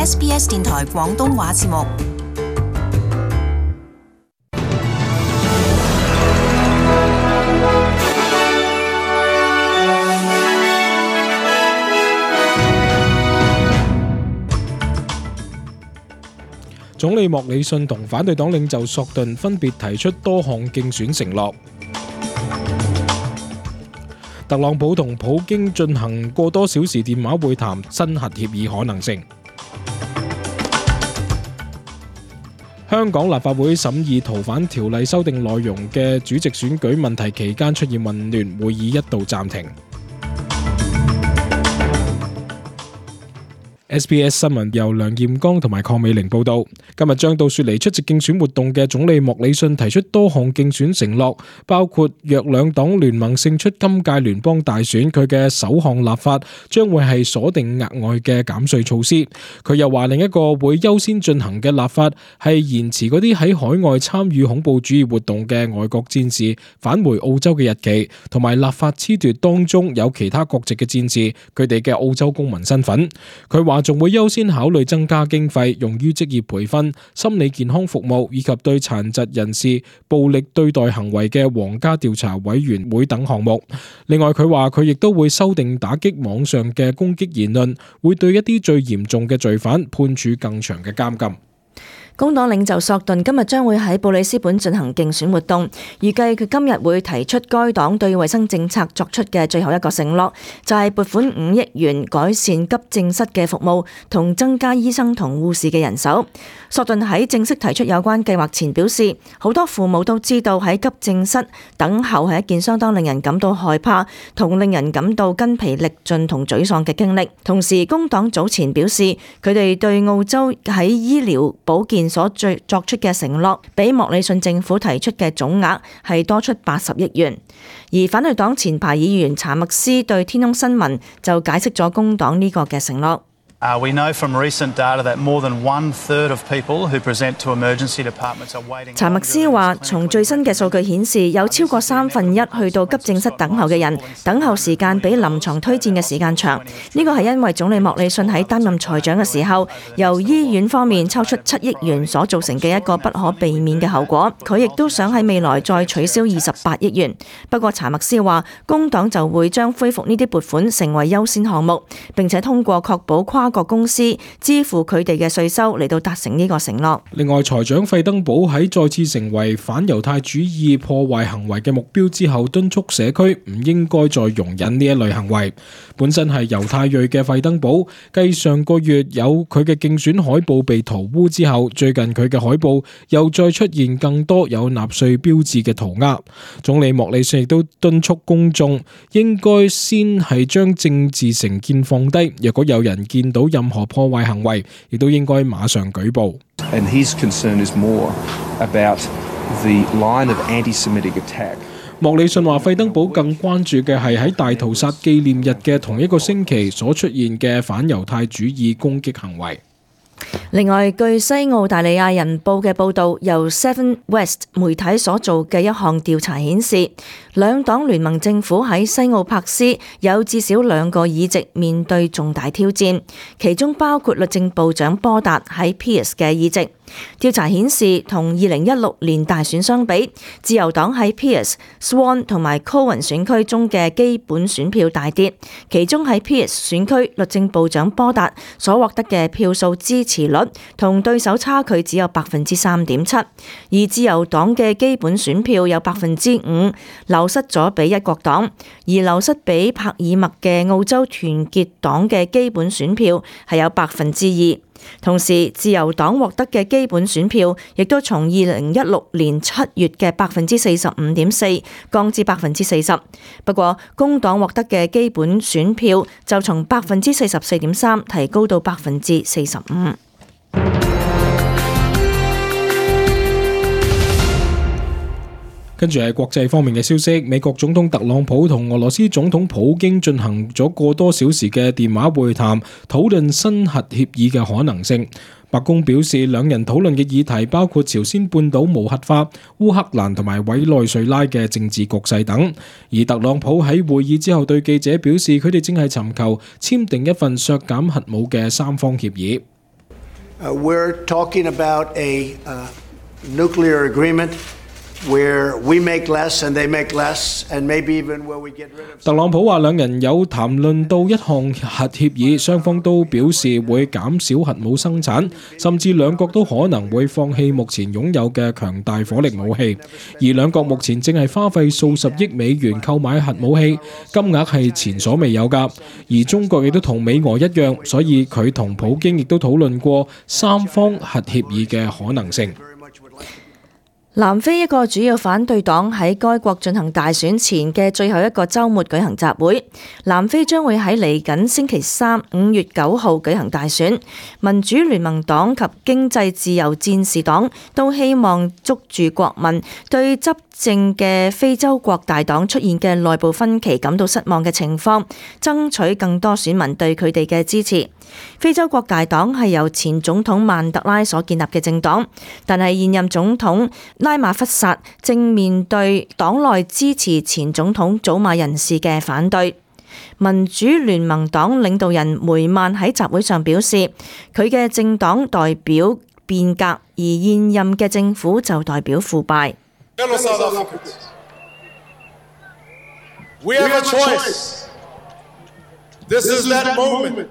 SBS 電台廣東話節目。總理莫里遜同反對黨領袖索頓分別提出多項競選承諾。特朗普同普京進行過多小時電話會談，新核協議可能性。香港立法會審議逃犯條例修訂內容嘅主席選舉問題期間出現混亂，會議一度暫停。SBS 新聞由梁艷剛同埋鄺美玲報道。今日將到雪梨出席競選活動嘅總理莫里遜提出多項競選承諾，包括若兩黨聯盟勝出今屆聯邦大選，佢嘅首項立法將會係鎖定額外嘅減稅措施。佢又話另一個會優先進行嘅立法係延遲嗰啲喺海外參與恐怖主義活動嘅外國戰士返回澳洲嘅日期，同埋立法褫奪當中有其他國籍嘅戰士佢哋嘅澳洲公民身份。佢話仲會優先考慮增加經費用於職業培訓、心理健康服務以及對殘疾人士暴力對待行為嘅皇家調查委員會等項目。另外佢話佢亦都會修訂打擊網上嘅攻擊言論，會對一啲最嚴重嘅罪犯判處更長嘅監禁。工黨領袖索頓今日將會喺布里斯本進行競選活動，預計佢今日會提出該黨對衛生政策作出嘅最後一個承諾，就係撥款5億元改善急症室嘅服務同增加醫生同護士嘅人手。索頓喺正式提出有關計劃前表示，好多父母都知道喺急症室等候係一件相當令人感到害怕同令人感到筋疲力盡同沮喪嘅經歷。同時，工黨早前表示，佢哋對澳洲喺醫療保健所作出嘅承諾，比莫里遜政府提出嘅總額係多出80億元。而反對黨前排議員查默斯對天空新聞就解釋咗工黨呢個嘅承諾。We know from recent data that more than 1/3 of people who present to emergency departments are waiting. 查默斯話，從最新嘅數據顯示，有超過1/3去到急症室等候嘅人，等候時間比臨床推薦嘅時間長。呢個係因為總理莫里遜喺擔任財長嘅時候，由醫院方面抽出7億元所造成嘅一個不可避免嘅後果。佢亦都想喺未來再取消28億元。不過查默斯話，工黨就會將恢復呢啲撥款成為優先項目，並且通過確保跨國公司支付佢哋嘅稅收嚟到達成呢個承諾。另外，財長費登堡喺再次成為反猶太主義破壞行為嘅目標之後，敦促社區唔應該再容忍呢一類行為。本身係猶太裔嘅費登堡，繼上個月有佢嘅競選海報被塗污之後，最近佢嘅海報又再出現更多有納粹標誌嘅塗鴉。總理莫里遜亦都敦促公眾應該先係將政治成見放低，若果有人見到任何破壞行為，亦都應該馬上舉報。And his concern is more about the line of anti-Semitic attack. 莫里遜話，費登堡更關注嘅係喺大屠殺紀念日嘅同一個星期所出現嘅反猶太主義攻擊行為。另外，據西澳大利亞人報嘅報導，由 Seven West 媒體所做嘅一項調查顯示，兩黨聯盟政府喺西澳柏斯有至少2個議席面對重大挑戰，其中包括律政部長波達喺 Pearce 嘅議席。調查顯示，同2016年大選相比，自由黨喺 Pearce、Swan 同埋 Cowan 選區中嘅基本選票大跌，其中喺 Pearce 選區律政部長波達所獲得嘅票數支持率同對手差距只有 3.7%， 而自由黨嘅基本選票有 5%， 流失咗俾一國黨，而流失俾帕爾默嘅澳洲團結黨嘅基本選票係有 2%。同時，自由黨獲得嘅基本選票亦都從2016年7月嘅 45.4% 降至 40%。不過，工黨獲得嘅基本選票就從 44.3% 提高到 45%。跟住係國際方面嘅消息，美國總統特朗普同俄羅斯總統普京進行咗過多小時嘅電話會談，討論新核協議嘅可能性。白宮表示，兩人討論嘅議題包括朝鮮半島無核化、烏克蘭同埋委內瑞拉嘅政治局勢等。而特朗普喺會議之後對記者表示，佢哋正係尋求簽訂一份削減核武嘅三方協議。We're talking about a nuclear agreement where we make less and they make less, and maybe even where we get rid of. 特朗普話兩人有談論到一項核協議，雙方都表示會減少核武生產，甚至兩國都可能會放棄目前擁有嘅強大火力武器。而兩國目前正係花費數十億美元購買核武器，金額係前所未有㗎。而中國亦都同美俄一樣，所以佢同普京亦都討論過三方核協議嘅可能性。南非一個主要反對黨喺該國進行大選前嘅最後一個週末舉行集會。南非將會喺嚟緊星期三5月9號舉行大選。民主聯盟黨及經濟自由戰士黨都希望捉住國民對執政嘅非洲國大黨出現嘅內部分歧感到失望嘅情況，爭取更多選民對佢哋嘅支持。非洲國大黨係由前總統曼特拉所建立嘅政黨，但係現任總統拉馬福薩正面對黨內支持前總統祖馬人士嘅反對。民主聯盟黨領導人梅曼喺集會上表示，佢嘅政黨代表變革，而現任嘅政府就代表腐敗。Fellow South Africans, we have a choice. This is that moment.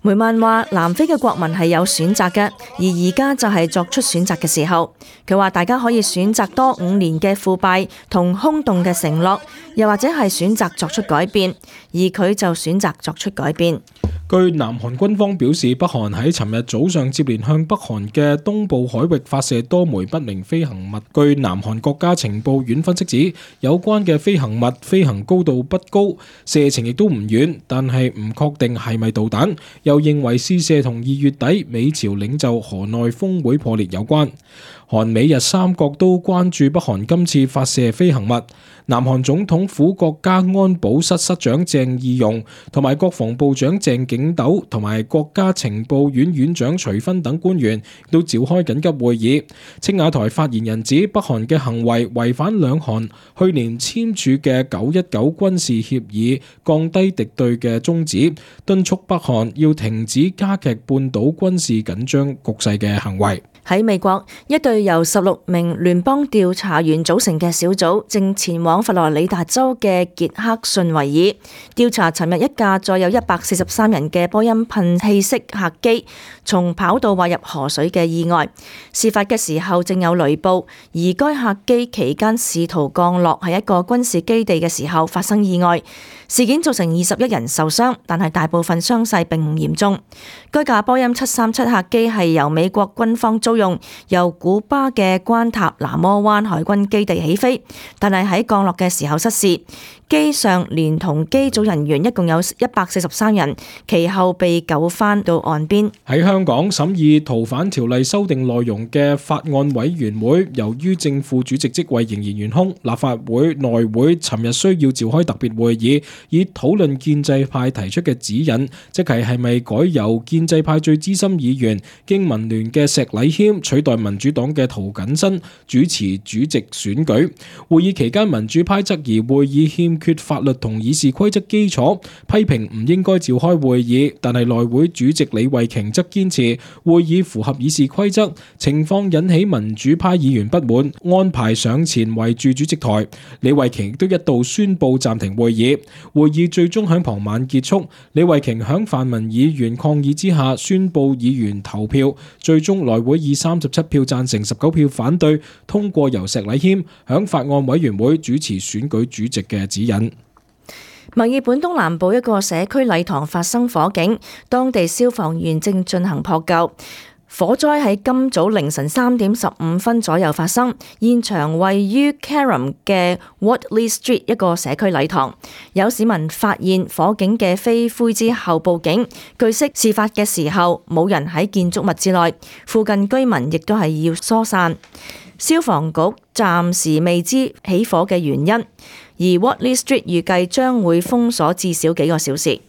梅曼話：南非嘅國民係有選擇嘅，而而家就係作出選擇嘅時候。佢話大家可以選擇多5年嘅腐敗同空洞嘅承諾，又或者係選擇作出改變，而佢就選擇作出改變。據南韓軍方表示，北韓喺尋日早上接連向北韓嘅東部海域發射多枚不明飛行物。據南韓國家情報院分析指，有關嘅飛行物飛行高度不高，射程亦都唔遠，但係唔確定係咪導彈。又認為試射同2月底美朝領袖河內峰會破裂有關。韓美日三國都關注北韓今次發射飛行物。南韓總統府國家安保室室長鄭義溶同埋國防部長鄭景斗同埋國家情報院院長徐薰等官員都召開緊急會議。青瓦台發言人指北韓嘅行為違反兩韓去年簽署嘅919軍事協議降低敵對嘅宗旨，敦促北韓要停止加劇半島軍事緊張局勢嘅行為。喺美國，一隊由16名聯邦調查員組成嘅小組正前往佛羅里達州嘅傑克遜維爾調查尋日一架載有143人嘅波音噴氣式客機從跑道滑入河水嘅意外。事發嘅時候正有雷暴，而該客機期間試圖降落喺一個軍事基地嘅時候發生意外。事件造成21人受傷，但係大部分傷勢並唔嚴重。該架波音737客機係由美國軍方租用，由古巴嘅關塔那摩灣海軍基地起飛，但係喺降落嘅時候失事。機上連同機組人員一共有143人，其後被救返到岸邊。喺香港審議逃犯條例修訂內容嘅法案委員會，由於正副主席職位仍然懸空，立法會內會尋日需要召開特別會議，以討論建制派提出嘅指引，即係咪改由建制派最資深議員經民聯嘅石禮謙取代民主黨嘅涂謹申主持主席選舉。會議期間，民主派質疑會議欠缺法律同議事規則基礎，批評唔應該召開會議，但係內會主席李慧瓊則堅持會議符合議事規則，情況引起民主派議員不滿，安排上前圍住主席台。李慧瓊亦都一度宣布暫停會議，會議最終喺傍晚結束。李慧瓊響泛民議員抗議之下宣布議員投票，最終內會以37票贊成19票反對通過由石禮謙響法案委員會主持選舉主席嘅指引。墨爾本東南部一個社區禮堂發生火警，當地消防員正進行撲救。火災喺今早凌晨3點15分左右發生，現場位於 Carrum 嘅 Wortley Street 一個社區禮堂。有市民發現火警嘅飛灰之後報警，據悉事發嘅時候冇人喺建築物之內，附近居民亦都係要疏散。消防局暫時未知起火嘅原因，而 Wortley Street 預計將會封鎖至少幾個小時。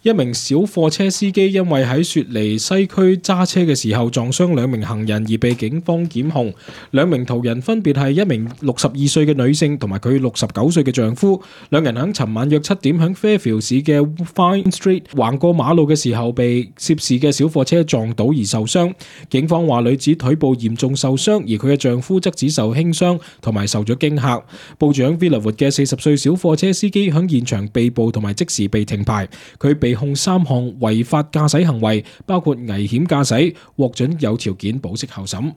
一名小貨車司機因為喺雪梨西區揸車嘅時候撞傷2名行人而被警方檢控。2名途人分別係一名62歲嘅女性同埋佢69歲嘅丈夫。兩人喺尋晚約7點喺 Fairfield 市嘅 Vine Street 橫過馬路嘅時候被涉事嘅小貨車撞倒而受傷。警方話女子腿部嚴重受傷，而佢嘅丈夫則只受輕傷同埋受咗驚嚇。報住喺 Villawood 嘅40歲小貨車司機喺現場被捕同埋即時被停牌，佢被控3項違法駕駛行為，包括危險駕駛，獲准有條件保釋候審。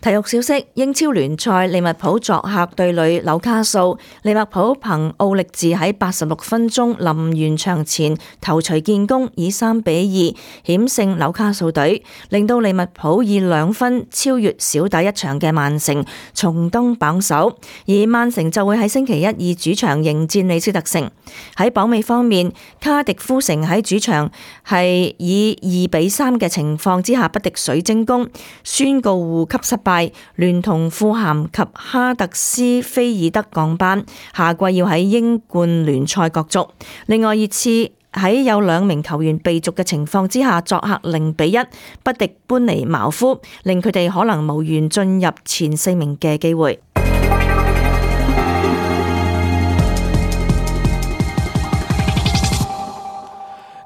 體育消息：英超聯賽利物浦作客對壘紐卡素，利物浦憑奧力治喺86分鐘臨完場前頭槌建功，以3-2險勝紐卡素隊，令到利物浦以2分超越少打一場嘅曼城，重登榜首。而曼城就會喺星期一以主場迎戰李斯特城。喺榜尾方面，卡迪夫城喺主場係以2-3嘅情況之下不敵水晶宮，宣告護級失敗，聯同富咸及哈特斯菲爾德降班，下季要喺英冠聯賽角逐。另外熱刺喺有2名球員被逐嘅情況之下，作客0-1不敵班尼茅夫，令佢哋可能無緣進入前4名嘅機會。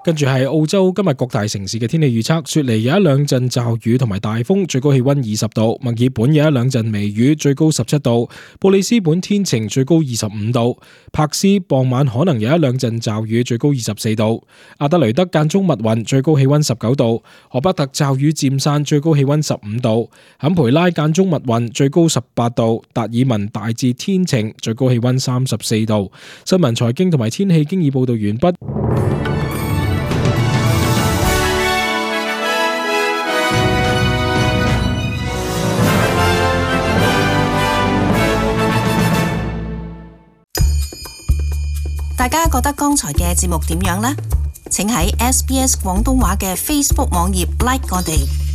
跟住係澳洲今日各大城市嘅天氣預測，雪梨有一兩陣驟雨同埋大風，最高氣溫20度；墨爾本有一兩陣微雨，最高17度；布里斯本天晴，最高25度；柏斯傍晚可能有一兩陣驟雨，最高24度；阿德雷德間中密雲，最高氣溫19度；荷伯特驟雨漸散，最高氣溫15度；坎培拉間中密雲，最高18度；達爾文大致天晴，最高氣溫34度。新聞財經同埋天氣經已報道完畢。大家覺得剛才嘅節目點樣呢？請喺SBS 廣東話嘅 Facebook 網頁 like 我哋。